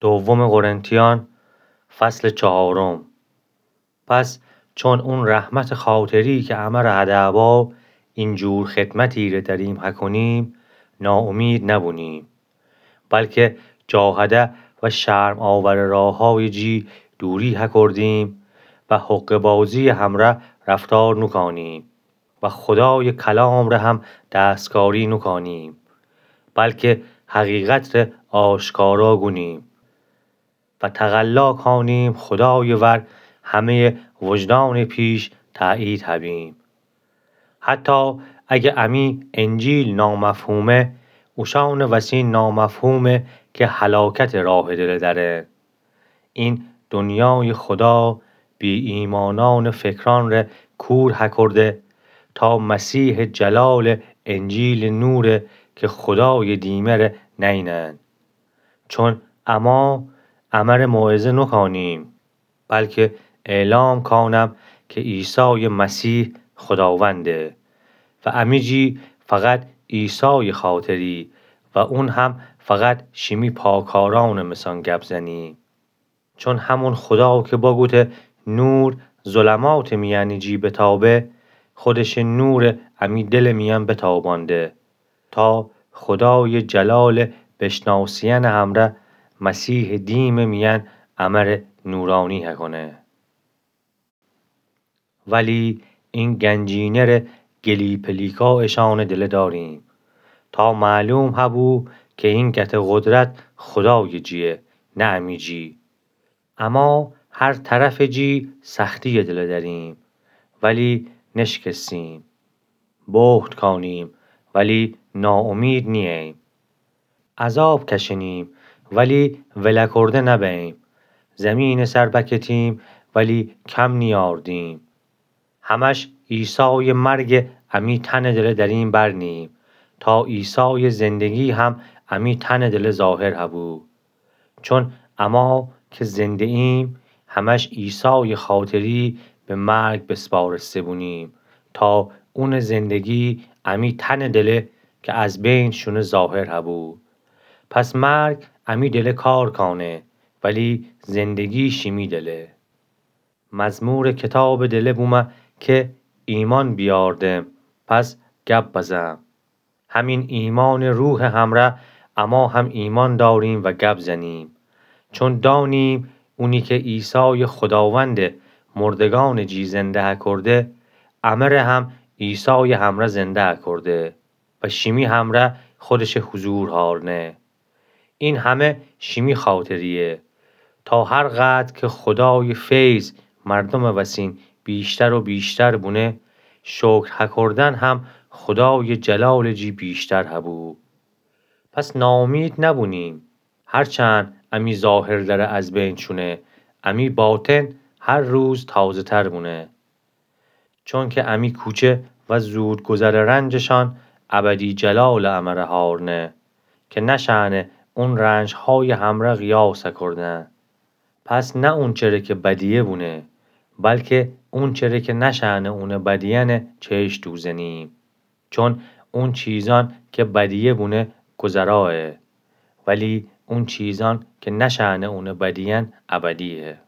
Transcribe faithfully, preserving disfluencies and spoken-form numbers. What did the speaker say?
دومٚ قرنتیأن، فصلٚ چهارم. پس چون اون رحمتٚ خاطری که امر هده با، اینجور خدمتی ره دریم هکونیم، ناامید نبونیم، بلکه جاهده و شرم‌آورٚ راهأیٚ جی دوری هکردیم و حقه‌بازی‌یٚ همره رفتار نوکانیم و خودایٚ کلام ره هم دستکاری نوکانیم، بلکه حقیقت ره آشکارا گونیم و تقلا کانیم خودایٚ ور همه‌یٚ وجدانٚ پیش تأیید هبیم. حتی اگه امی انجیل نامفهومه، اوشانٚ وسین نامفهومه که هلاکتٚ راهٚ دله دأره. این دنیایٚ خدا بی‌ایمأنأنٚ فکرأن ره کور هکرده، تا مسیحٚ جلالٚ انجیلٚ نوره که خودایٚ دیمه ره نینن. چون اما امره موعظه نوکانیم، بلکه اعلام کانم که عیسایٚ مسیح خوداونده و امی جی فقط عیسایٚ خاطری و اون هم فقط شیمی پاکارأنٚ مسأن گب زنیم. چون همون خدا که بگوته نور ظلماتٚ میأنٚ جی بتابه، خودشٚ نور امی دلٚ میأن بتابانده، تا خودایٚ جلالٚ بشناسیأنٚ همره مسیحٚ دیمٚ میأن امره نورانی هکونه. ولی این گنجینه ره گلی‌پلیکا اشانٚ دله داریم، تا معلوم هبو که این گته قدرت خودایٚ جیه، نه امی جی. اما هر طرفٚ جی سختی‌یٚ دله دأریم، ولی نشکستیم. بهت کانیم، ولی ناامید نیییم. عذاب کشنیم، ولی ولکرده نبیم. زیمینٚ سر بکتیم، ولی کم نیاردیم. همش عیسایٚ مرگٚ امی تنٚ دله دریم برنیم، تا عیسایٚ زندگی هم امی تنٚ دله ظاهر هبو. چون اما که زنده‌ایم، همش عیسایٚ خاطری به مرگ بسپارسته بونیم، تا اونٚ زندگی امی تنٚ دله که از بین شونه ظاهر هبو. پس مرگ امی دله کار کانه، ولی زندگی شیمی دله. مزمورٚ کتابٚ دله بومه که ایمأن بیاردم، پس گب بزم. همین ایمأنٚ روحٚ همره اما هم ایمأن داریم و گب زنیم، چون دانیم اونی که عیسایٚ خوداوندٚ مردگأنٚ جی زنده هکرده، امره هم عیسایٚ همره زنده هکرده و شیمی همره خودشٚ حضور هارنه. این همه شیمی خاطریه، تا هر قدر که خودایٚ فیض مردمٚ وسین بیشتر و بیشتر بونه، شکر هکردن هم خودایٚ جلالٚ جی بیشتر هبو. پس ناامید نبونیم، هرچند امی ظاهر دره از بین شونه، امی باطن هر روز تازه‌تر بونه. چونکه امی کوچه و زودگذرٚ رنجشان ابدی جلالٚ امره هارنه، که نشأنه اون رنجهایٚ همره قیاس کردن. پس نه اونچره که بدیه بونه، بلکه اونچره که نشأنه اونٚ بدیأنه چشم دوزنیم. چون اون چیزأن که بدیه بونه گذرایه، ولی اون چیزأن که نشأنه اونٚ بدیأن ابدیه.